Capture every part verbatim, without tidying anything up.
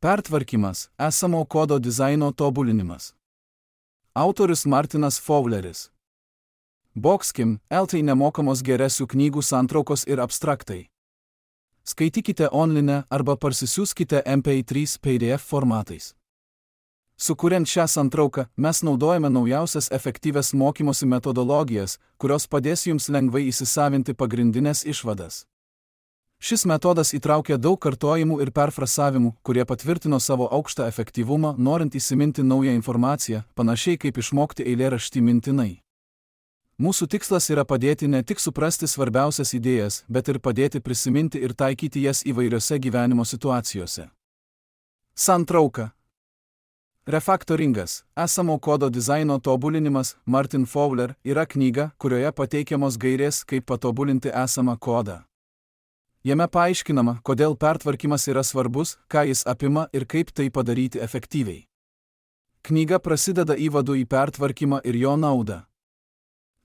Pertvarkymas – esamo kodo dizaino tobulinimas. Autorius Martinas Fowleris. Boxkim, L T nemokamos geresių knygų santraukos ir abstraktai. Skaitykite online arba parsisiųskite M P trys P D F formatais. Sukuriant šią santrauką, mes naudojame naujausias efektyvias mokymosi metodologijas, kurios padės jums lengvai įsisavinti pagrindinės išvadas. Šis metodas įtraukia daug kartojimų ir perfrasavimų, kurie patvirtino savo aukštą efektyvumą, norint įsiminti naują informaciją, panašiai kaip išmokti eilėraštį mintinai. Mūsų tikslas yra padėti ne tik suprasti svarbiausias idėjas, bet ir padėti prisiminti ir taikyti jas įvairiose gyvenimo situacijose. Santrauka. Refaktoringas – esamo kodo dizaino tobulinimas Martin Fowler yra knyga, kurioje pateikiamos gairės, kaip patobulinti esamą kodą. Jame paaiškinama, kodėl pertvarkymas yra svarbus, ką jis apima ir kaip tai padaryti efektyviai. Knyga prasideda įvadu į pertvarkymą ir jo naudą.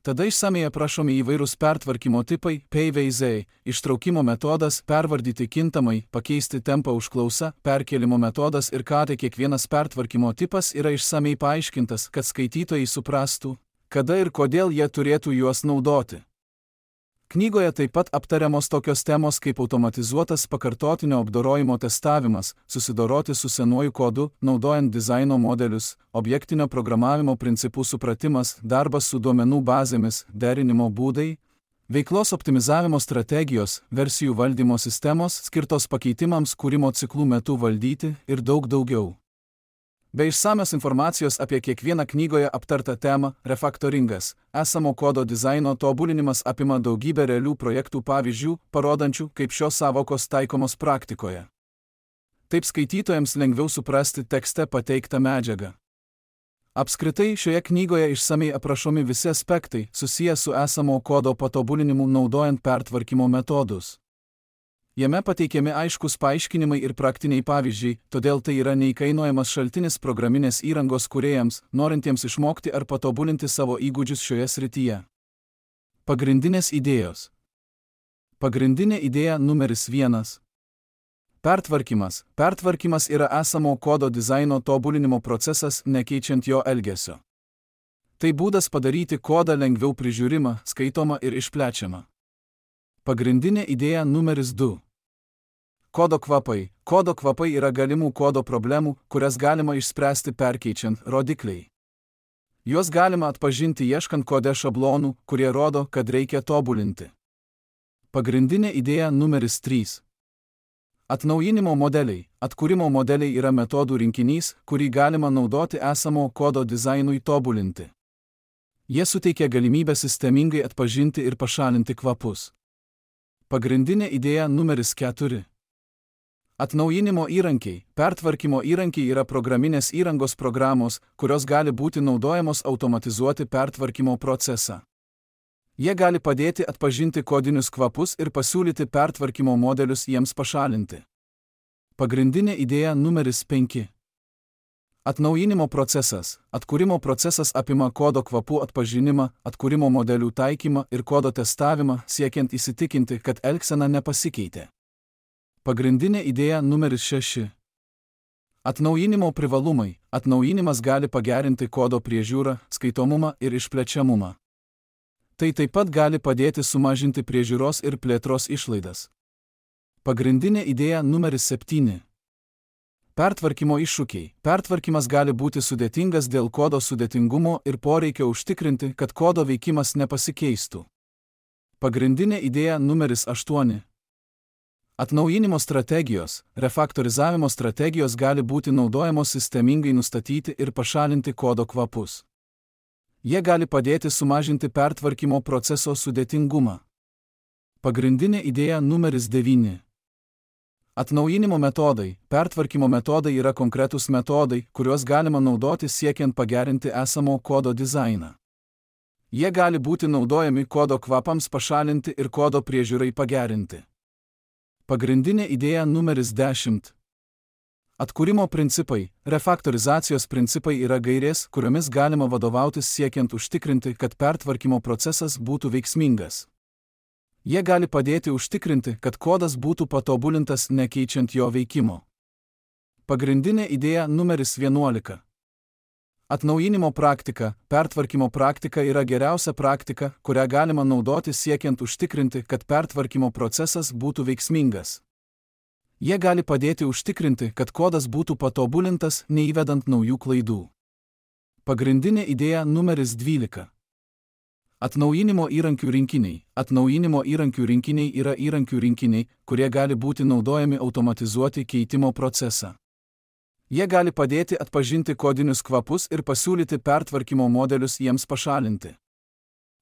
Tada išsamiai aprašomi įvairūs pertvarkymo tipai, P V Z, ištraukimo metodas, pervardyti kintamai, pakeisti tempą užklausą, perkėlimo metodas ir ką tai kiekvienas pertvarkymo tipas yra išsamiai paaiškintas, kad skaitytojai suprastų, kada ir kodėl jie turėtų juos naudoti. Knygoje taip pat aptariamos tokios temos kaip automatizuotas pakartotinio apdorojimo testavimas, susidoroti su senuoju kodu, naudojant dizaino modelius, objektinio programavimo principų supratimas, darbas su duomenų bazėmis, derinimo būdai, veiklos optimizavimo strategijos, versijų valdymo sistemos, skirtos pakeitimams kūrimo ciklų metu valdyti ir daug daugiau. Be išsamios informacijos apie kiekvieną knygoje aptartą temą, refaktoringas, esamo kodo dizaino tobulinimas apima daugybę realių projektų pavyzdžių, parodančių, kaip šios sąvokos taikomos praktikoje. Taip skaitytojams lengviau suprasti tekste pateiktą medžiagą. Apskritai, šioje knygoje išsamiai aprašomi visi aspektai, susiję su esamo kodo patobulinimu naudojant pertvarkymo metodus. Jame pateikiami aiškus paaiškinimai ir praktiniai pavyzdžiai, todėl tai yra neįkainojamas šaltinis programinės įrangos kūrėjams, norintiems išmokti ar patobulinti savo įgūdžius šioje srityje. Pagrindinės idėjos. Pagrindinė idėja numeris vienas. Pertvarkymas. Pertvarkymas yra esamo kodo dizaino tobulinimo procesas, nekeičiant jo elgesio. Tai būdas padaryti kodą lengviau prižiūrimą, skaitomą ir išplečiamą. Pagrindinė idėja numeris du. Kodo kvapai. Kodo kvapai yra galimų kodo problemų, kurias galima išspręsti perkeičiant rodikliai. Juos galima atpažinti ieškant kode šablonų, kurie rodo, kad reikia tobulinti. Pagrindinė idėja numeris trys. Atnaujinimo modeliai. Atkūrimo modeliai yra metodų rinkinys, kurį galima naudoti esamo kodo dizainui tobulinti. Jie suteikia galimybę sistemingai atpažinti ir pašalinti kvapus. Pagrindinė idėja numeris keturi. Atnaujinimo įrankiai. Pertvarkymo įrankiai yra programinės įrangos programos, kurios gali būti naudojamos automatizuoti pertvarkymo procesą. Jie gali padėti atpažinti kodinius kvapus ir pasiūlyti pertvarkymo modelius jiems pašalinti. Pagrindinė idėja numeris penki. Atnaujinimo procesas. Atkūrimo procesas apima kodo kvapų atpažinimą, atkūrimo modelių taikymą ir kodo testavimą, siekiant įsitikinti, kad elgsena nepasikeitė. Pagrindinė idėja numeris šeši. Atnaujinimo privalumai. Atnaujinimas gali pagerinti kodo priežiūrą, skaitomumą ir išplečiamumą. Tai taip pat gali padėti sumažinti priežiūros ir plėtros išlaidas. Pagrindinė idėja numeris septyni. Pertvarkymo iššūkiai. Pertvarkymas gali būti sudėtingas dėl kodo sudėtingumo ir poreikio užtikrinti, kad kodo veikimas nepasikeistų. Pagrindinė idėja numeris aštuoni. Atnaujinimo strategijos. Refaktorizavimo strategijos gali būti naudojamos sistemingai nustatyti ir pašalinti kodo kvapus. Jie gali padėti sumažinti pertvarkymo proceso sudėtingumą. Pagrindinė idėja numeris devyni. Atnaujinimo metodai. Pertvarkymo metodai yra konkretūs metodai, kuriuos galima naudoti siekiant pagerinti esamo kodo dizainą. Jie gali būti naudojami kodo kvapams pašalinti ir kodo priežiūrai pagerinti. Pagrindinė idėja numeris dešimt. Atkūrimo principai. Refaktorizacijos principai yra gairės, kuriomis galima vadovautis siekiant užtikrinti, kad pertvarkymo procesas būtų veiksmingas. Jie gali padėti užtikrinti, kad kodas būtų patobulintas nekeičiant jo veikimo. Pagrindinė idėja numeris vienuolika. Atnaujinimo praktika, pertvarkymo praktika yra geriausia praktika, kurią galima naudoti siekiant užtikrinti, kad pertvarkymo procesas būtų veiksmingas. Jie gali padėti užtikrinti, kad kodas būtų patobulintas, neįvedant naujų klaidų. Pagrindinė idėja numeris dvylika. Atnaujinimo įrankių rinkiniai. Atnaujinimo įrankių rinkiniai yra įrankių rinkiniai, kurie gali būti naudojami automatizuoti keitimo procesą. Jie gali padėti atpažinti kodinius kvapus ir pasiūlyti pertvarkymo modelius jiems pašalinti.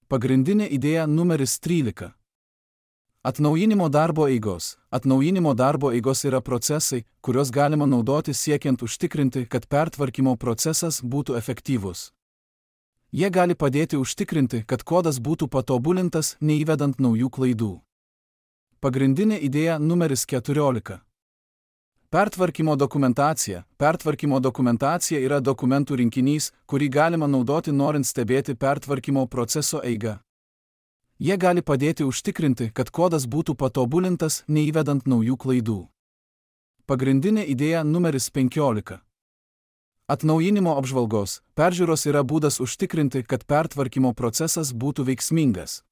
Pagrindinė idėja numeris trylika. Atnaujinimo darbo eigos. Atnaujinimo darbo eigos yra procesai, kuriuos galima naudoti siekiant užtikrinti, kad pertvarkymo procesas būtų efektyvus. Jie gali padėti užtikrinti, kad kodas būtų patobulintas, neįvedant naujų klaidų. Pagrindinė idėja numeris keturiolika. Pertvarkymo dokumentacija. Pertvarkymo dokumentacija yra dokumentų rinkinys, kurį galima naudoti norint stebėti pertvarkymo proceso eigą. Jie gali padėti užtikrinti, kad kodas būtų patobulintas, neįvedant naujų klaidų. Pagrindinė idėja numeris penkiolika. Atnaujinimo apžvalgos. Peržiūros yra būdas užtikrinti, kad pertvarkymo procesas būtų veiksmingas.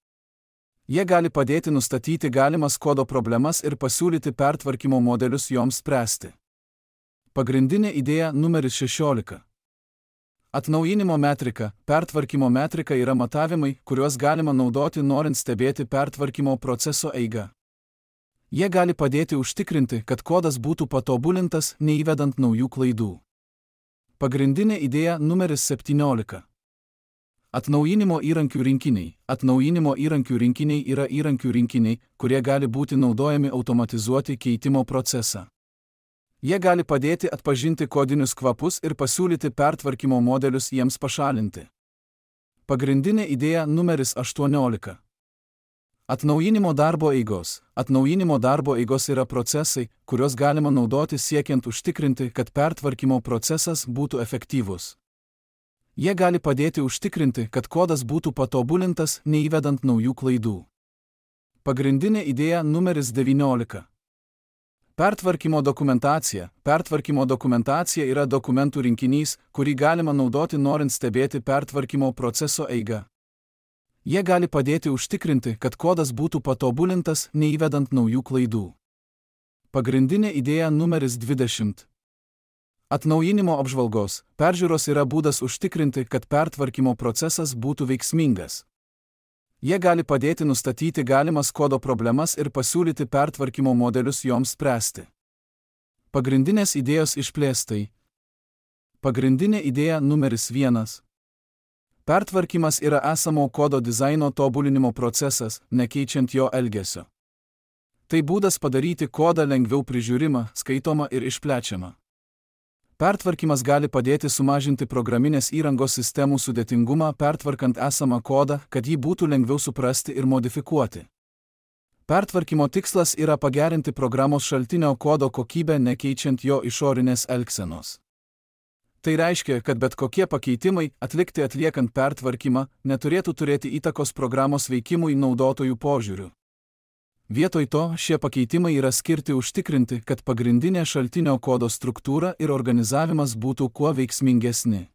Jie gali padėti nustatyti galimas kodo problemas ir pasiūlyti pertvarkymo modelius joms spręsti. Pagrindinė idėja numeris šešiolika. Atnaujinimo metrika. Pertvarkymo metrika yra matavimai, kuriuos galima naudoti norint stebėti pertvarkymo proceso eigą. Jie gali padėti užtikrinti, kad kodas būtų patobulintas, neįvedant naujų klaidų. Pagrindinė idėja numeris septyniolika. Atnaujinimo įrankių rinkiniai. Atnaujinimo įrankių rinkiniai yra įrankių rinkiniai, kurie gali būti naudojami automatizuoti keitimo procesą. Jie gali padėti atpažinti kodinius kvapus ir pasiūlyti pertvarkymo modelius jiems pašalinti. Pagrindinė idėja numeris aštuoniolika. Atnaujinimo darbo eigos. Atnaujinimo darbo eigos yra procesai, kuriuos galima naudoti siekiant užtikrinti, kad pertvarkymo procesas būtų efektyvus. Jie gali padėti užtikrinti, kad kodas būtų patobulintas, neįvedant naujų klaidų. Pagrindinė idėja numeris devyniolika. Pertvarkymo dokumentacija. Pertvarkymo dokumentacija yra dokumentų rinkinys, kurį galima naudoti norint stebėti pertvarkymo proceso eigą. Jie gali padėti užtikrinti, kad kodas būtų patobulintas, neįvedant naujų klaidų. Pagrindinė idėja numeris dvidešimt. Atnaujinimo apžvalgos. Peržiūros yra būdas užtikrinti, kad pertvarkymo procesas būtų veiksmingas. Jie gali padėti nustatyti galimas kodo problemas ir pasiūlyti pertvarkymo modelius joms spręsti. Pagrindinės idėjos išplėstai. Pagrindinė idėja numeris vienas. Pertvarkymas yra esamo kodo dizaino tobulinimo procesas, nekeičiant jo elgesio. Tai būdas padaryti kodą lengviau prižiūrimą, skaitomą ir išplečiamą. Pertvarkymas gali padėti sumažinti programinės įrangos sistemų sudėtingumą, pertvarkant esamą kodą, kad jį būtų lengviau suprasti ir modifikuoti. Pertvarkymo tikslas yra pagerinti programos šaltinio kodo kokybę, nekeičiant jo išorinės elgsenos. Tai reiškia, kad bet kokie pakeitimai, atlikti atliekant pertvarkymą, neturėtų turėti įtakos programos veikimui naudotojų požiūriu. Vietoj to, šie pakeitimai yra skirti užtikrinti, kad pagrindinė šaltinio kodo struktūra ir organizavimas būtų kuo veiksmingesni.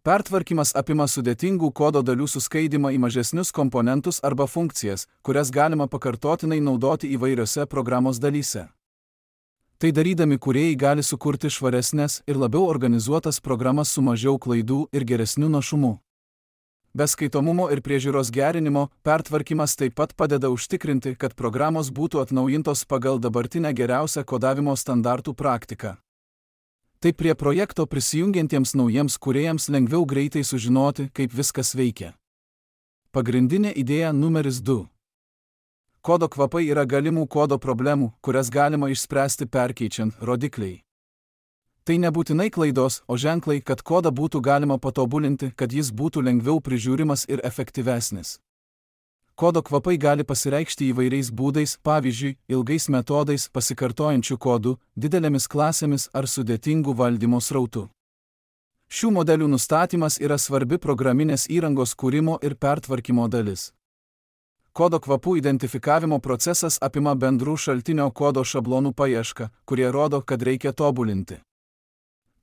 Pertvarkymas apima sudėtingų kodo dalių suskaidymą į mažesnius komponentus arba funkcijas, kurias galima pakartotinai naudoti įvairiose programos dalyse. Tai darydami kūrėjai gali sukurti švaresnes ir labiau organizuotas programas su mažiau klaidų ir geresniu našumu. Be skaitomumo ir priežiūros gerinimo, pertvarkymas taip pat padeda užtikrinti, kad programos būtų atnaujintos pagal dabartinę geriausią kodavimo standartų praktiką. Taip prie projekto prisijungiantiems naujiems kūrėjams lengviau greitai sužinoti, kaip viskas veikia. Pagrindinė idėja numeris du. Kodo kvapai yra galimų kodo problemų, kurias galima išspręsti perkeičiant rodikliai. Tai nebūtinai klaidos, o ženklai, kad kodą būtų galima patobulinti, kad jis būtų lengviau prižiūrimas ir efektyvesnis. Kodo kvapai gali pasireikšti įvairiais būdais, pavyzdžiui, ilgais metodais, pasikartojančių kodų, didelėmis klasėmis ar sudėtingų valdymo srautų. Šių modelių nustatymas yra svarbi programinės įrangos kūrimo ir pertvarkymo dalis. Kodo kvapų identifikavimo procesas apima bendrų šaltinio kodo šablonų paiešką, kurie rodo, kad reikia tobulinti.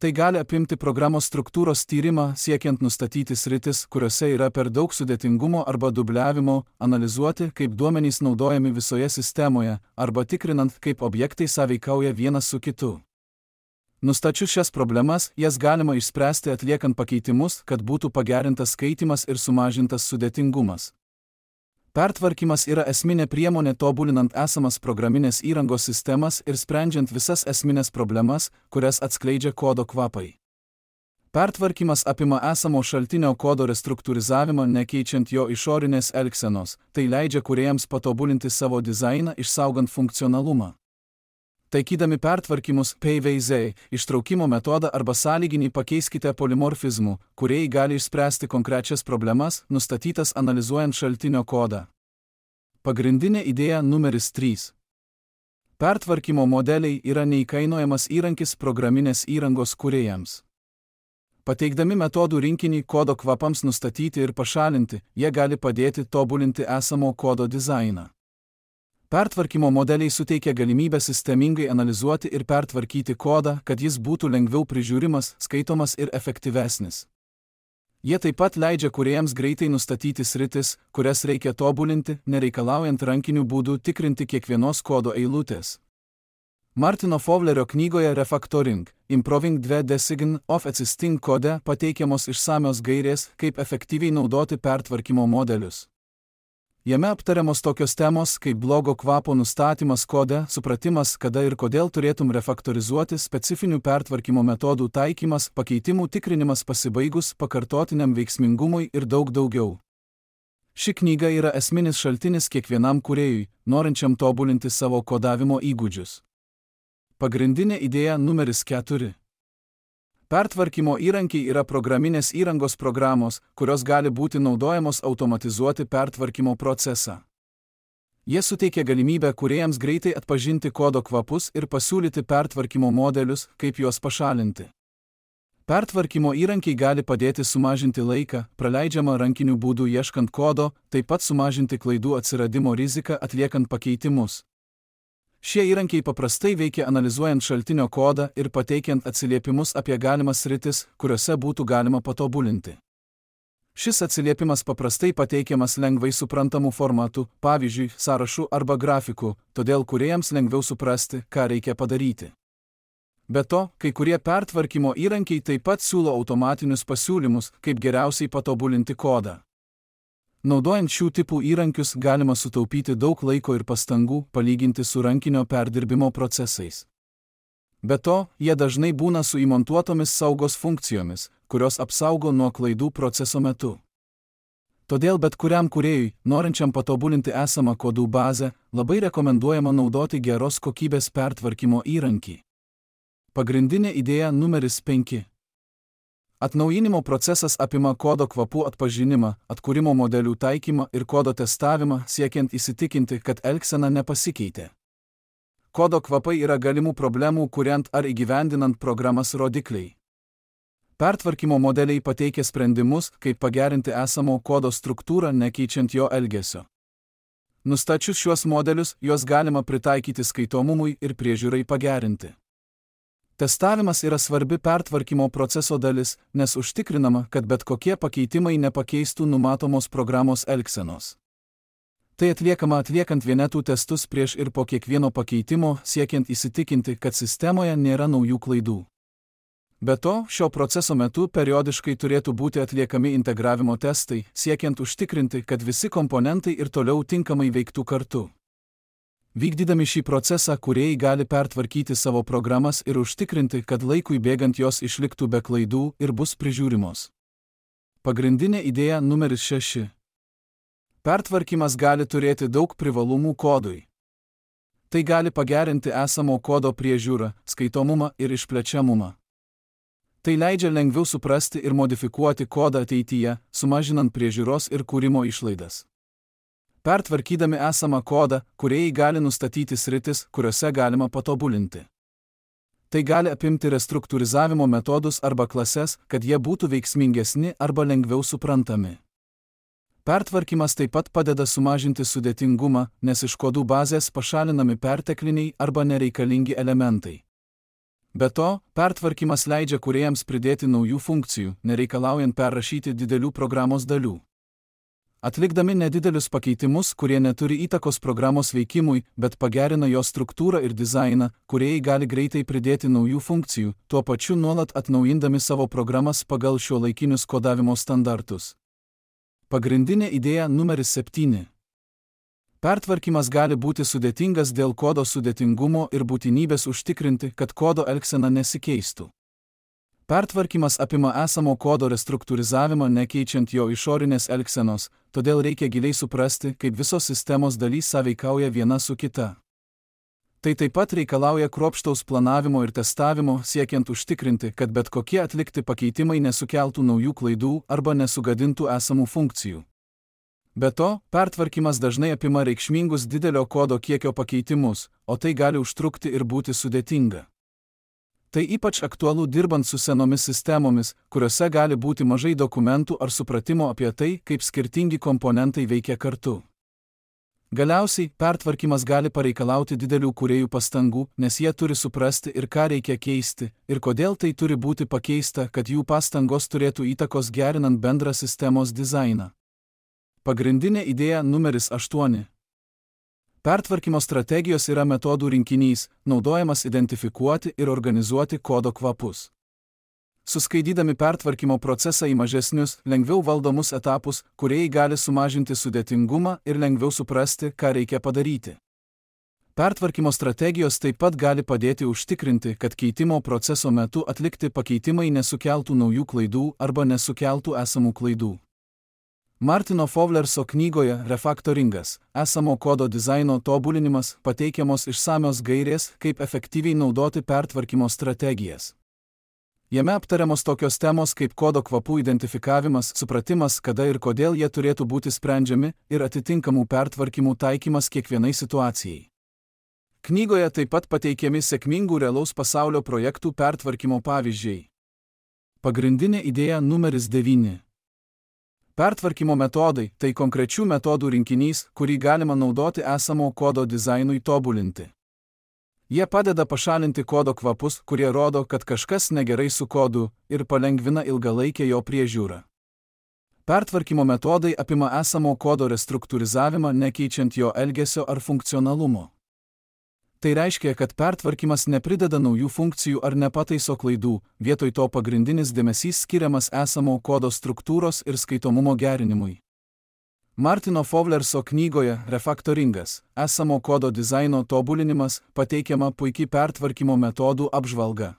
Tai gali apimti programos struktūros tyrimą, siekiant nustatyti sritis, kuriuose yra per daug sudėtingumo arba dubliavimo, analizuoti, kaip duomenys naudojami visoje sistemoje, arba tikrinant, kaip objektai sąveikauja vienas su kitu. Nustačius šias problemas, jas galima išspręsti atliekant pakeitimus, kad būtų pagerintas skaitymas ir sumažintas sudėtingumas. Pertvarkymas yra esminė priemonė tobulinant esamas programinės įrangos sistemas ir sprendžiant visas esminės problemas, kurias atskleidžia kodo kvapai. Pertvarkymas apima esamo šaltinio kodo restruktūrizavimą, nekeičiant jo išorinės elgsenos, tai leidžia kūrėjams patobulinti savo dizainą, išsaugant funkcionalumą. Taikydami pertvarkymus P V Z, ištraukimo metodą arba sąlyginį pakeiskite polimorfizmų, kurie gali išspręsti konkrečias problemas, nustatytas analizuojant šaltinio kodą. Pagrindinė idėja numeris trys. Pertvarkymo modeliai yra neįkainojamas įrankis programinės įrangos kūrėjams. Pateikdami metodų rinkinį kodo kvapams nustatyti ir pašalinti, jie gali padėti tobulinti esamo kodo dizainą. Pertvarkymo modeliai suteikia galimybę sistemingai analizuoti ir pertvarkyti kodą, kad jis būtų lengviau prižiūrimas, skaitomas ir efektyvesnis. Jie taip pat leidžia kūrėjams greitai nustatyti sritis, kurias reikia tobulinti, nereikalaujant rankiniu būdu tikrinti kiekvienos kodo eilutės. Martino Fowlerio knygoje Refactoring, Improving the Design of Existing Code pateikiamos išsamios gairės, kaip efektyviai naudoti pertvarkymo modelius. Jame aptariamos tokios temos kaip blogo kvapo nustatymas kode, supratimas, kada ir kodėl turėtum refaktorizuoti, specifinių pertvarkymo metodų taikymas, pakeitimų tikrinimas pasibaigus pakartotiniam veiksmingumui ir daug daugiau. Ši knyga yra esminis šaltinis kiekvienam kūrėjui, norinčiam tobulinti savo kodavimo įgūdžius. Pagrindinė idėja numeris keturi. Pertvarkymo įrankiai yra programinės įrangos programos, kurios gali būti naudojamos automatizuoti pertvarkymo procesą. Jie suteikia galimybę kūrėjams greitai atpažinti kodo kvapus ir pasiūlyti pertvarkymo modelius, kaip juos pašalinti. Pertvarkymo įrankiai gali padėti sumažinti laiką, praleidžiamą rankiniu būdu ieškant kodo, taip pat sumažinti klaidų atsiradimo riziką atliekant pakeitimus. Šie įrankiai paprastai veikia analizuojant šaltinio kodą ir pateikiant atsiliepimus apie galimas sritis, kuriuose būtų galima patobulinti. Šis atsiliepimas paprastai pateikiamas lengvai suprantamų formatų, pavyzdžiui, sąrašų arba grafikų, todėl kūrėjams lengviau suprasti, ką reikia padaryti. Be to, kai kurie pertvarkymo įrankiai taip pat siūlo automatinius pasiūlymus, kaip geriausiai patobulinti kodą. Naudojant šių tipų įrankius galima sutaupyti daug laiko ir pastangų, palyginti su rankinio perdirbimo procesais. Be to, jie dažnai būna su įmontuotomis saugos funkcijomis, kurios apsaugo nuo klaidų proceso metu. Todėl bet kuriam kūrėjui, norinčiam patobulinti esamą kodų bazę, labai rekomenduojama naudoti geros kokybės pertvarkymo įrankį. Pagrindinė idėja numeris penki. Atnaujinimo procesas apima kodo kvapų atpažinimą, atkūrimo modelių taikymą ir kodo testavimą, siekiant įsitikinti, kad elgsena nepasikeitė. Kodo kvapai yra galimų problemų kuriant ar įgyvendinant programas rodikliai. Pertvarkymo modeliai pateikia sprendimus, kaip pagerinti esamo kodo struktūrą, nekeičiant jo elgesio. Nustačius šiuos modelius, juos galima pritaikyti skaitomumui ir priežiūrai pagerinti. Testavimas yra svarbi pertvarkymo proceso dalis, nes užtikrinama, kad bet kokie pakeitimai nepakeistų numatomos programos elgsenos. Tai atliekama atliekant vienetų testus prieš ir po kiekvieno pakeitimo, siekiant įsitikinti, kad sistemoje nėra naujų klaidų. Be to, šio proceso metu periodiškai turėtų būti atliekami integravimo testai, siekiant užtikrinti, kad visi komponentai ir toliau tinkamai veiktų kartu. Vykdydami šį procesą, kūrėjai gali pertvarkyti savo programas ir užtikrinti, kad laikui bėgant jos išliktų be klaidų ir bus prižiūrimos. Pagrindinė idėja numeris šeši. Pertvarkymas gali turėti daug privalumų kodui. Tai gali pagerinti esamo kodo priežiūrą, skaitomumą ir išplečiamumą. Tai leidžia lengviau suprasti ir modifikuoti kodą ateityje, sumažinant priežiūros ir kūrimo išlaidas. Pertvarkydami esamą kodą, kūrėjai gali nustatyti sritis, kuriuose galima patobulinti. Tai gali apimti restruktūrizavimo metodus arba klases, kad jie būtų veiksmingesni arba lengviau suprantami. Pertvarkymas taip pat padeda sumažinti sudėtingumą, nes iš kodų bazės pašalinami pertekliniai arba nereikalingi elementai. Be to, pertvarkymas leidžia kūrėjams pridėti naujų funkcijų, nereikalaujant perrašyti didelių programos dalių. Atlikdami nedidelius pakeitimus, kurie neturi įtakos programos veikimui, bet pagerina jos struktūrą ir dizainą, kūrėjai gali greitai pridėti naujų funkcijų, tuo pačiu nuolat atnaujindami savo programas pagal šiuolaikinius kodavimo standartus. Pagrindinė idėja numeris septyni. Pertvarkymas gali būti sudėtingas dėl kodo sudėtingumo ir būtinybės užtikrinti, kad kodo elgsena nesikeistų. Pertvarkymas apima esamo kodo restruktūrizavimą nekeičiant jo išorinės elgsenos, todėl reikia giliai suprasti, kaip visos sistemos dalys sąveikauja viena su kita. Tai taip pat reikalauja kruopštaus planavimo ir testavimo, siekiant užtikrinti, kad bet kokie atlikti pakeitimai nesukeltų naujų klaidų arba nesugadintų esamų funkcijų. Be to, pertvarkymas dažnai apima reikšmingus didelio kodo kiekio pakeitimus, o tai gali užtrukti ir būti sudėtinga. Tai ypač aktualu dirbant su senomis sistemomis, kuriuose gali būti mažai dokumentų ar supratimo apie tai, kaip skirtingi komponentai veikia kartu. Galiausiai, pertvarkymas gali pareikalauti didelių kūrėjų pastangų, nes jie turi suprasti ir ką reikia keisti, ir kodėl tai turi būti pakeista, kad jų pastangos turėtų įtakos gerinant bendrą sistemos dizainą. Pagrindinė idėja numeris aštuoni. Pertvarkymo strategijos yra metodų rinkinys, naudojamas identifikuoti ir organizuoti kodo kvapus. Suskaidydami pertvarkymo procesą į mažesnius, lengviau valdomus etapus, kūrėjai gali sumažinti sudėtingumą ir lengviau suprasti, ką reikia padaryti. Pertvarkymo strategijos taip pat gali padėti užtikrinti, kad keitimo proceso metu atlikti pakeitimai nesukeltų naujų klaidų arba nesukeltų esamų klaidų. Martino Fowlerso knygoje Refaktoringas, esamo kodo dizaino tobulinimas pateikiamos išsamios gairės, kaip efektyviai naudoti pertvarkymo strategijas. Jame aptariamos tokios temos kaip kodo kvapų identifikavimas, supratimas, kada ir kodėl jie turėtų būti sprendžiami, ir atitinkamų pertvarkymų taikymas kiekvienai situacijai. Knygoje taip pat pateikiami sėkmingų realaus pasaulio projektų pertvarkymo pavyzdžiai. Pagrindinė idėja numeris devyni. Pertvarkymo metodai – tai konkrečių metodų rinkinys, kurį galima naudoti esamo kodo dizainui tobulinti. Jie padeda pašalinti kodo kvapus, kurie rodo, kad kažkas negerai su kodu, ir palengvina ilgalaikę jo priežiūrą. Pertvarkymo metodai apima esamo kodo restruktūrizavimą, nekeičiant jo elgesio ar funkcionalumo. Tai reiškia, kad pertvarkymas neprideda naujų funkcijų ar nepataiso klaidų, vietoj to pagrindinis dėmesys skiriamas esamo kodo struktūros ir skaitomumo gerinimui. Martino Fowlerso knygoje Refaktoringas, esamo kodo dizaino tobulinimas pateikiama puikiai pertvarkymo metodų apžvalga.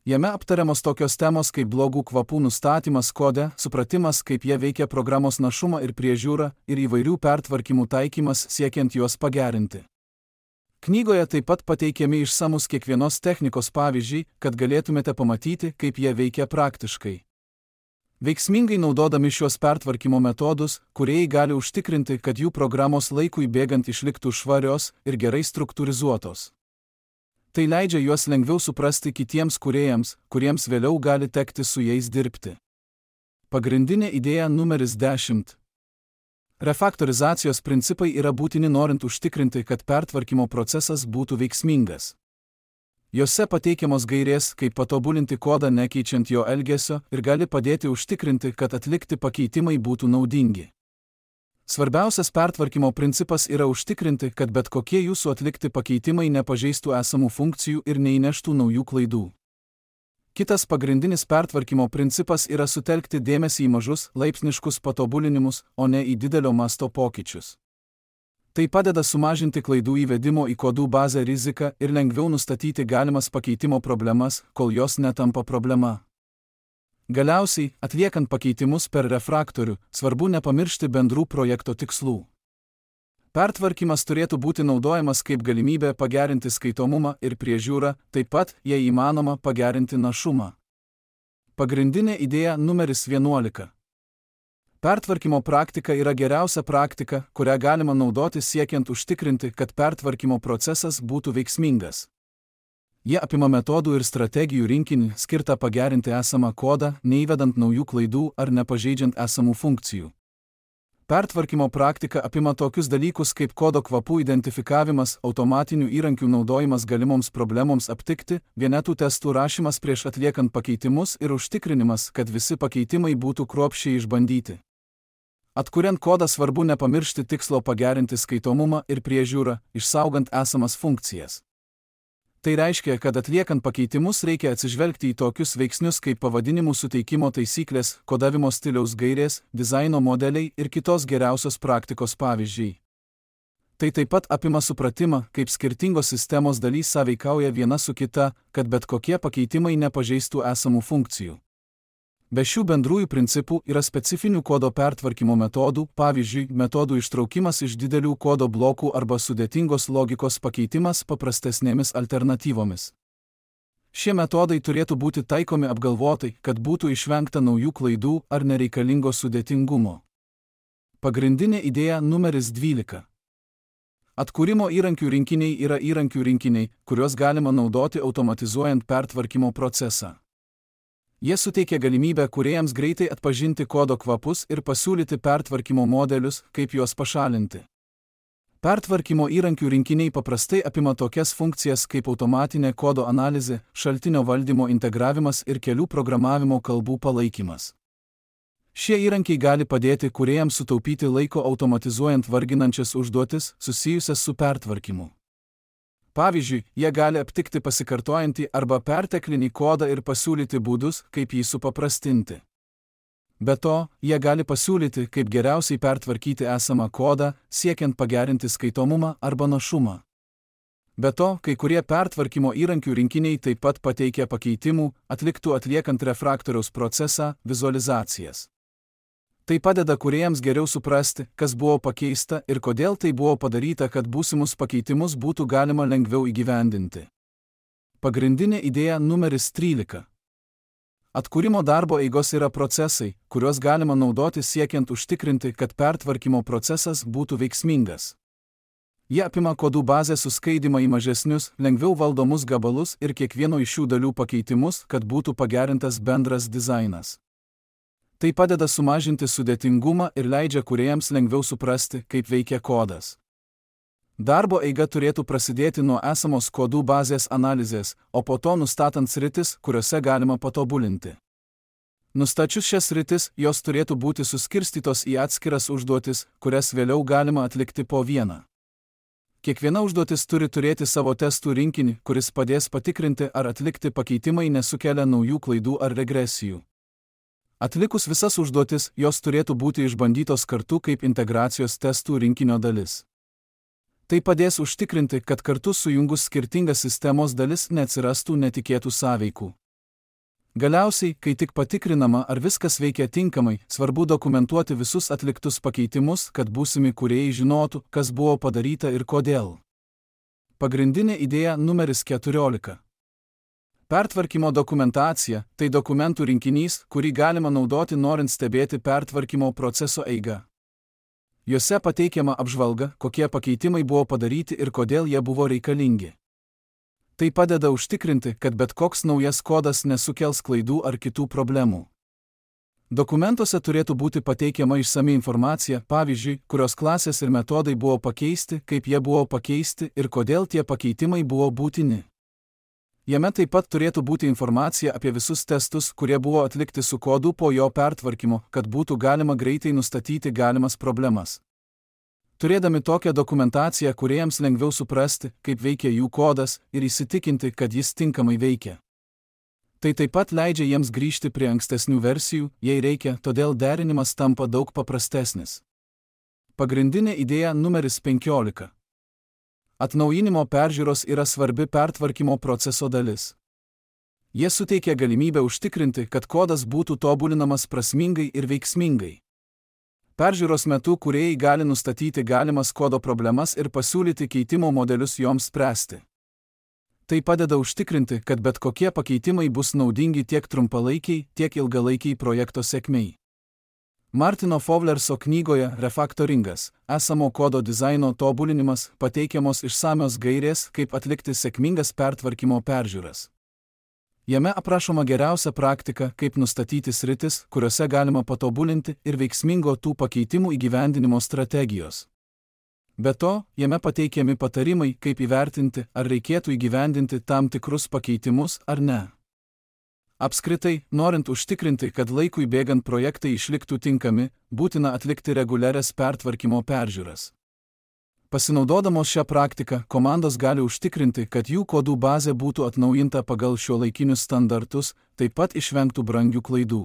Jame aptariamos tokios temos kaip blogų kvapų nustatymas kode, supratimas, kaip jie veikia programos našumą ir priežiūrą, ir įvairių pertvarkymų taikymas siekiant juos pagerinti. Knygoje taip pat pateikiami išsamus kiekvienos technikos pavyzdžiai, kad galėtumėte pamatyti, kaip jie veikia praktiškai. Veiksmingai naudodami šiuos pertvarkymo metodus, kūrėjai gali užtikrinti, kad jų programos laikui bėgant išliktų švarios ir gerai struktūrizuotos. Tai leidžia juos lengviau suprasti kitiems kūrėjams, kuriems vėliau gali tekti su jais dirbti. Pagrindinė idėja numeris dešimt. Refaktorizacijos principai yra būtini norint užtikrinti, kad pertvarkymo procesas būtų veiksmingas. Jose pateikiamos gairės, kaip patobulinti kodą nekeičiant jo elgesio ir gali padėti užtikrinti, kad atlikti pakeitimai būtų naudingi. Svarbiausias pertvarkymo principas yra užtikrinti, kad bet kokie jūsų atlikti pakeitimai nepažeistų esamų funkcijų ir neįneštų naujų klaidų. Kitas pagrindinis pertvarkymo principas yra sutelkti dėmesį į mažus, laipsniškus patobulinimus, o ne į didelio masto pokyčius. Tai padeda sumažinti klaidų įvedimo į kodų bazę riziką ir lengviau nustatyti galimas pakeitimo problemas, kol jos netampa problema. Galiausiai, atliekant pakeitimus per refraktorių, svarbu nepamiršti bendrų projekto tikslų. Pertvarkymas turėtų būti naudojamas kaip galimybė pagerinti skaitomumą ir priežiūrą, taip pat, jei įmanoma, pagerinti našumą. Pagrindinė idėja numeris vienuolika. Pertvarkymo praktika yra geriausia praktika, kurią galima naudoti siekiant užtikrinti, kad pertvarkymo procesas būtų veiksmingas. Jie apima metodų ir strategijų rinkinį, skirtą pagerinti esamą kodą, neįvedant naujų klaidų ar nepažeidžiant esamų funkcijų. Pertvarkymo praktika apima tokius dalykus kaip kodo kvapų identifikavimas, automatinių įrankių naudojimas galimoms problemoms aptikti, vienetų testų rašymas prieš atliekant pakeitimus ir užtikrinimas, kad visi pakeitimai būtų kruopščiai išbandyti. Atkuriant kodą svarbu nepamiršti tikslo pagerinti skaitomumą ir priežiūrą, išsaugant esamas funkcijas. Tai reiškia, kad atliekant pakeitimus reikia atsižvelgti į tokius veiksnius kaip pavadinimų suteikimo taisyklės, kodavimo stiliaus gairės, dizaino modeliai ir kitos geriausios praktikos pavyzdžiai. Tai taip pat apima supratimą, kaip skirtingos sistemos dalys sąveikauja viena su kita, kad bet kokie pakeitimai nepažeistų esamų funkcijų. Be šių bendrųjų principų yra specifinių kodo pertvarkymo metodų, pavyzdžiui, metodų ištraukimas iš didelių kodo blokų arba sudėtingos logikos pakeitimas paprastesnėmis alternatyvomis. Šie metodai turėtų būti taikomi apgalvotai, kad būtų išvengta naujų klaidų ar nereikalingo sudėtingumo. Pagrindinė idėja numeris dvylika. Atkūrimo įrankių rinkiniai yra įrankių rinkiniai, kuriuos galima naudoti automatizuojant pertvarkymo procesą. Jie suteikia galimybę kūrėjams greitai atpažinti kodo kvapus ir pasiūlyti pertvarkymo modelius, kaip juos pašalinti. Pertvarkymo įrankių rinkiniai paprastai apima tokias funkcijas kaip automatinė kodo analizė, šaltinio valdymo integravimas ir kelių programavimo kalbų palaikymas. Šie įrankiai gali padėti kūrėjams sutaupyti laiko automatizuojant varginančias užduotis susijusias su pertvarkymu. Pavyzdžiui, jie gali aptikti pasikartojantį arba perteklinį kodą ir pasiūlyti būdus, kaip jį supaprastinti. Be to, jie gali pasiūlyti, kaip geriausiai pertvarkyti esamą kodą, siekiant pagerinti skaitomumą arba našumą. Be to, kai kurie pertvarkymo įrankių rinkiniai taip pat pateikia pakeitimų, atliktų atliekant refraktoriaus procesą, vizualizacijas. Tai padeda kūrėjams geriau suprasti, kas buvo pakeista ir kodėl tai buvo padaryta, kad būsimus pakeitimus būtų galima lengviau įgyvendinti. Pagrindinė idėja numeris trylika. Atkūrimo darbo eigos yra procesai, kuriuos galima naudoti siekiant užtikrinti, kad pertvarkymo procesas būtų veiksmingas. Jie apima kodų bazės suskaidymą į mažesnius, lengviau valdomus gabalus ir kiekvieno iš šių dalių pakeitimus, kad būtų pagerintas bendras dizainas. Tai padeda sumažinti sudėtingumą ir leidžia kūrėjams lengviau suprasti, kaip veikia kodas. Darbo eiga turėtų prasidėti nuo esamos kodų bazės analizės, o po to nustatant sritis, kuriuose galima patobulinti. Nustačius šias sritis, jos turėtų būti suskirstytos į atskiras užduotis, kurias vėliau galima atlikti po vieną. Kiekviena užduotis turi turėti savo testų rinkinį, kuris padės patikrinti, ar atlikti pakeitimai nesukelia naujų klaidų ar regresijų. Atlikus visas užduotis, jos turėtų būti išbandytos kartu kaip integracijos testų rinkinio dalis. Tai padės užtikrinti, kad kartu sujungus skirtingas sistemos dalis neatsirastų netikėtų sąveikų. Galiausiai, kai tik patikrinama, ar viskas veikia tinkamai, svarbu dokumentuoti visus atliktus pakeitimus, kad būsimi kūrėjai žinotų, kas buvo padaryta ir kodėl. Pagrindinė idėja numeris keturiolika. Pertvarkymo dokumentacija – tai dokumentų rinkinys, kurį galima naudoti norint stebėti pertvarkymo proceso eigą. Jose pateikiama apžvalga, kokie pakeitimai buvo padaryti ir kodėl jie buvo reikalingi. Tai padeda užtikrinti, kad bet koks naujas kodas nesukels klaidų ar kitų problemų. Dokumentuose turėtų būti pateikiama išsami informacija, pavyzdžiui, kurios klasės ir metodai buvo pakeisti, kaip jie buvo pakeisti ir kodėl tie pakeitimai buvo būtini. Jame taip pat turėtų būti informacija apie visus testus, kurie buvo atlikti su kodu po jo pertvarkymo, kad būtų galima greitai nustatyti galimas problemas. Turėdami tokią dokumentaciją, kūrėjams lengviau suprasti, kaip veikia jų kodas ir įsitikinti, kad jis tinkamai veikia. Tai taip pat leidžia jiems grįžti prie ankstesnių versijų, jei reikia, todėl derinimas tampa daug paprastesnis. Pagrindinė idėja numeris penkiolika. Atnaujinimo peržiūros yra svarbi pertvarkymo proceso dalis. Jie suteikia galimybę užtikrinti, kad kodas būtų tobulinamas prasmingai ir veiksmingai. Peržiūros metu kūrėjai gali nustatyti galimas kodo problemas ir pasiūlyti keitimo modelius joms spręsti. Tai padeda užtikrinti, kad bet kokie pakeitimai bus naudingi tiek trumpalaikiai, tiek ilgalaikiai projekto sėkmei. Martino Fowlerso knygoje Refaktoringas – esamo kodo dizaino tobulinimas pateikiamos išsamios gairės, kaip atlikti sėkmingas pertvarkymo peržiūras. Jame aprašoma geriausia praktika, kaip nustatyti sritis, kuriuose galima patobulinti ir veiksmingo tų pakeitimų įgyvendinimo strategijos. Be to, jame pateikiami patarimai, kaip įvertinti, ar reikėtų įgyvendinti tam tikrus pakeitimus ar ne. Apskritai, norint užtikrinti, kad laikui bėgant projektai išliktų tinkami, būtina atlikti reguliarias pertvarkymo peržiūras. Pasinaudodamos šią praktiką, komandos gali užtikrinti, kad jų kodų bazė būtų atnaujinta pagal šiuolaikinius standartus, taip pat išvengtų brangių klaidų.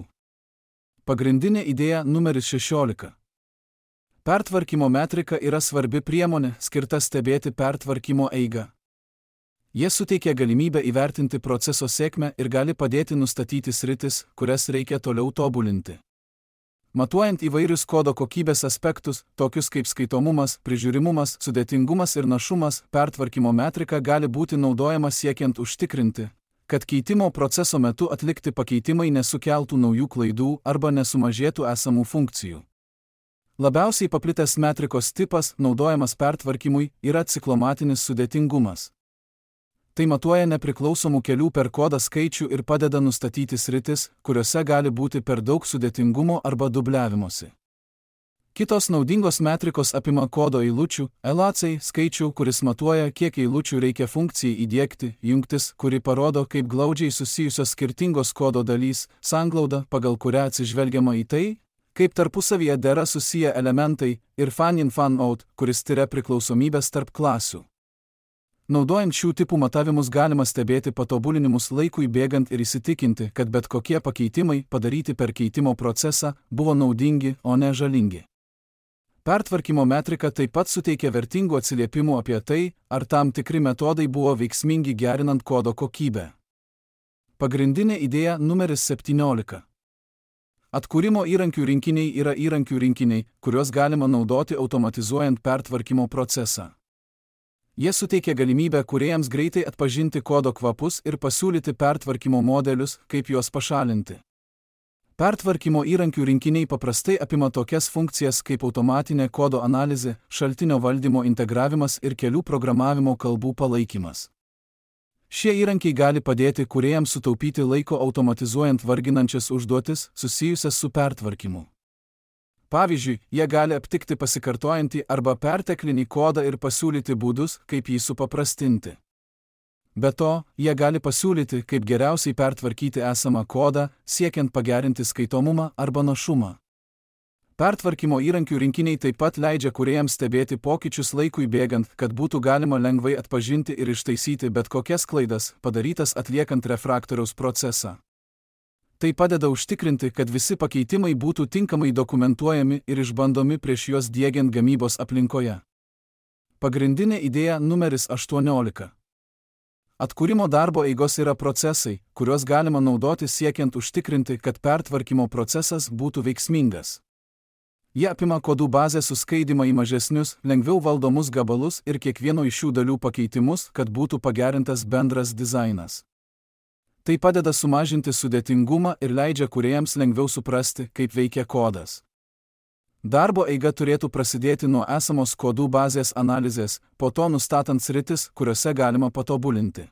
Pagrindinė idėja numeris šešiolika. Pertvarkymo metrika yra svarbi priemonė, skirta stebėti pertvarkymo eigą. Jie suteikia galimybę įvertinti proceso sėkmę ir gali padėti nustatyti sritis, kurias reikia toliau tobulinti. Matuojant įvairius kodo kokybės aspektus, tokius kaip skaitomumas, prižiūrimumas, sudėtingumas ir našumas, pertvarkymo metrika gali būti naudojama siekiant užtikrinti, kad keitimo proceso metu atlikti pakeitimai nesukeltų naujų klaidų arba nesumažėtų esamų funkcijų. Labiausiai paplitęs metrikos tipas, naudojamas pertvarkymui, yra ciklomatinis sudėtingumas. Tai matuoja nepriklausomų kelių per kodą skaičių ir padeda nustatyti sritis, kuriuose gali būti per daug sudėtingumo arba dubliavimosi. Kitos naudingos metrikos apima kodo eilučių, L A C skaičių, kuris matuoja, kiek eilučių reikia funkcijai įdiegti, jungtis, kuri parodo, kaip glaudžiai susijusios skirtingos kodo dalys, sanglauda, pagal kurią atsižvelgiama į tai, kaip tarpusavyje dera susiję elementai, ir fan-in-fan-out, kuris tiria priklausomybės tarp klasių. Naudojant šių tipų matavimus galima stebėti patobulinimus laikui bėgant ir įsitikinti, kad bet kokie pakeitimai, padaryti per keitimo procesą, buvo naudingi, o ne žalingi. Pertvarkymo metrika taip pat suteikia vertingų atsiliepimų apie tai, ar tam tikri metodai buvo veiksmingi gerinant kodo kokybę. Pagrindinė idėja numeris septyniolika. Atkūrimo įrankių rinkiniai yra įrankių rinkiniai, kuriuos galima naudoti automatizuojant pertvarkymo procesą. Jie suteikia galimybę kūrėjams greitai atpažinti kodo kvapus ir pasiūlyti pertvarkymo modelius, kaip juos pašalinti. Pertvarkymo įrankių rinkiniai paprastai apima tokias funkcijas kaip automatinė kodo analizė, šaltinio valdymo integravimas ir kelių programavimo kalbų palaikymas. Šie įrankiai gali padėti kūrėjams sutaupyti laiko automatizuojant varginančias užduotis susijusias su pertvarkymu. Pavyzdžiui, jie gali aptikti pasikartojantį arba perteklinį kodą ir pasiūlyti būdus, kaip jį supaprastinti. Be to, jie gali pasiūlyti, kaip geriausiai pertvarkyti esamą kodą, siekiant pagerinti skaitomumą arba našumą. Pertvarkymo įrankių rinkiniai taip pat leidžia kūrėjams stebėti pokyčius laikui bėgant, kad būtų galima lengvai atpažinti ir ištaisyti bet kokias klaidas, padarytas atliekant refraktoriaus procesą. Tai padeda užtikrinti, kad visi pakeitimai būtų tinkamai dokumentuojami ir išbandomi prieš juos diegiant gamybos aplinkoje. Pagrindinė idėja numeris aštuoniolika. Atkūrimo darbo eigos yra procesai, kuriuos galima naudoti siekiant užtikrinti, kad pertvarkymo procesas būtų veiksmingas. Jie apima kodų bazę suskaidymą į mažesnius, lengviau valdomus gabalus ir kiekvieno iš šių dalių pakeitimus, kad būtų pagerintas bendras dizainas. Tai padeda sumažinti sudėtingumą ir leidžia kūrėjams lengviau suprasti, kaip veikia kodas. Darbo eiga turėtų prasidėti nuo esamos kodų bazės analizės, po to nustatant sritis, kuriuose galima patobulinti.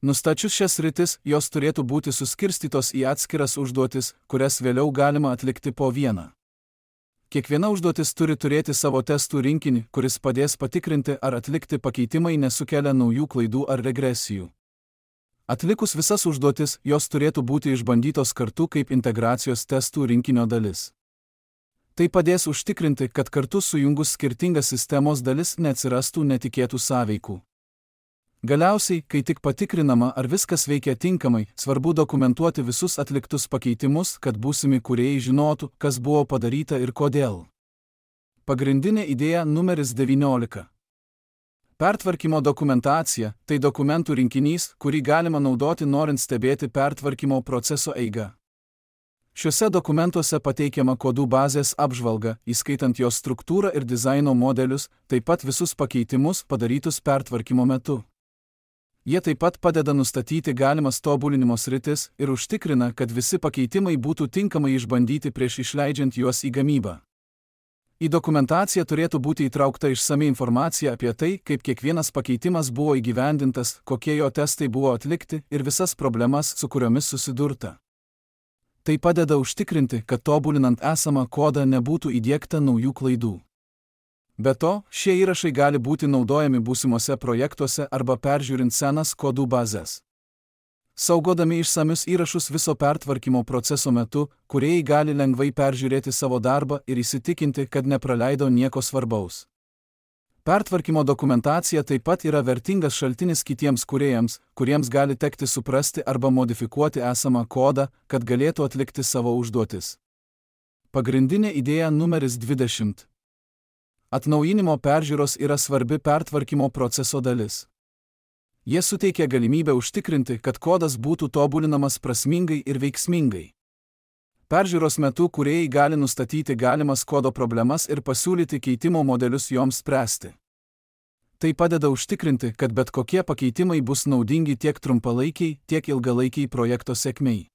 Nustačius šias sritis, jos turėtų būti suskirstytos į atskiras užduotis, kurias vėliau galima atlikti po vieną. Kiekviena užduotis turi turėti savo testų rinkinį, kuris padės patikrinti, ar atlikti pakeitimai nesukelia naujų klaidų ar regresijų. Atlikus visas užduotis, jos turėtų būti išbandytos kartu kaip integracijos testų rinkinio dalis. Tai padės užtikrinti, kad kartu sujungus skirtingas sistemos dalis neatsirastų netikėtų sąveikų. Galiausiai, kai tik patikrinama, ar viskas veikia tinkamai, svarbu dokumentuoti visus atliktus pakeitimus, kad būsimi kūrėjai žinotų, kas buvo padaryta ir kodėl. Pagrindinė idėja numeris devyniolika. Pertvarkymo dokumentacija – tai dokumentų rinkinys, kurį galima naudoti norint stebėti pertvarkymo proceso eigą. Šiuose dokumentuose pateikiama kodų bazės apžvalga, įskaitant jos struktūrą ir dizaino modelius, taip pat visus pakeitimus padarytus pertvarkymo metu. Jie taip pat padeda nustatyti galimas tobulinimo sritis ir užtikrina, kad visi pakeitimai būtų tinkamai išbandyti prieš išleidžiant juos į gamybą. Į dokumentaciją turėtų būti įtraukta išsami informacija apie tai, kaip kiekvienas pakeitimas buvo įgyvendintas, kokie jo testai buvo atlikti ir visas problemas, su kuriomis susidurta. Tai padeda užtikrinti, kad tobulinant esamą kodą nebūtų įdiegta naujų klaidų. Be to, šie įrašai gali būti naudojami būsimuose projektuose arba peržiūrint senas kodų bazes. Saugodami išsamius įrašus viso pertvarkymo proceso metu, kūrėjai gali lengvai peržiūrėti savo darbą ir įsitikinti, kad nepraleido nieko svarbaus. Pertvarkymo dokumentacija taip pat yra vertingas šaltinis kitiems kūrėjams, kuriems gali tekti suprasti arba modifikuoti esamą kodą, kad galėtų atlikti savo užduotis. Pagrindinė idėja numeris dvidešimt. Atnaujinimo peržiūros yra svarbi pertvarkymo proceso dalis. Jie suteikia galimybę užtikrinti, kad kodas būtų tobulinamas prasmingai ir veiksmingai. Peržiūros metu kūrėjai gali nustatyti galimas kodo problemas ir pasiūlyti keitimo modelius joms spręsti. Tai padeda užtikrinti, kad bet kokie pakeitimai bus naudingi tiek trumpalaikiai, tiek ilgalaikiai projekto sėkmei.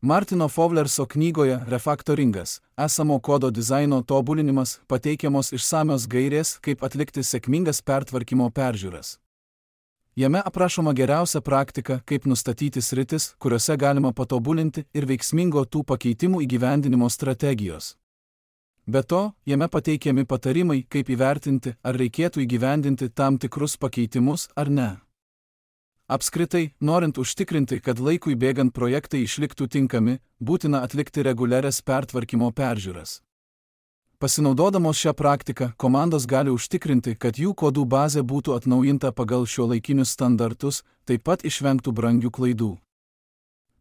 Martino Fowlerso knygoje Refaktoringas – esamo kodo dizaino tobulinimas pateikiamos išsamios gairės, kaip atlikti sėkmingas pertvarkymo peržiūras. Jame aprašoma geriausia praktika, kaip nustatyti sritis, kuriuose galima patobulinti ir veiksmingo tų pakeitimų įgyvendinimo strategijos. Be to, jame pateikiami patarimai, kaip įvertinti, ar reikėtų įgyvendinti tam tikrus pakeitimus ar ne. Apskritai, norint užtikrinti, kad laikui bėgant projektai išliktų tinkami, būtina atlikti reguliarias pertvarkymo peržiūras. Pasinaudodamos šią praktiką, komandos gali užtikrinti, kad jų kodų bazė būtų atnaujinta pagal šiuolaikinius standartus, taip pat išvengtų brangių klaidų.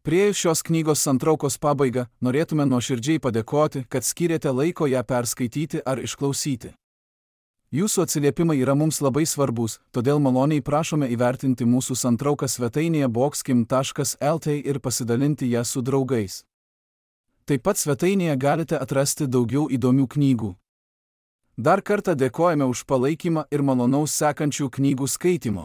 Priėjus šios knygos santraukos pabaigą, norėtume nuoširdžiai padėkoti, kad skyrėte laiko ją perskaityti ar išklausyti. Jūsų atsiliepimai yra mums labai svarbus, todėl maloniai prašome įvertinti mūsų santrauką svetainėje boxkim taškas lt ir pasidalinti ją su draugais. Taip pat svetainėje galite atrasti daugiau įdomių knygų. Dar kartą dėkojame už palaikymą ir malonaus sekančių knygų skaitimo.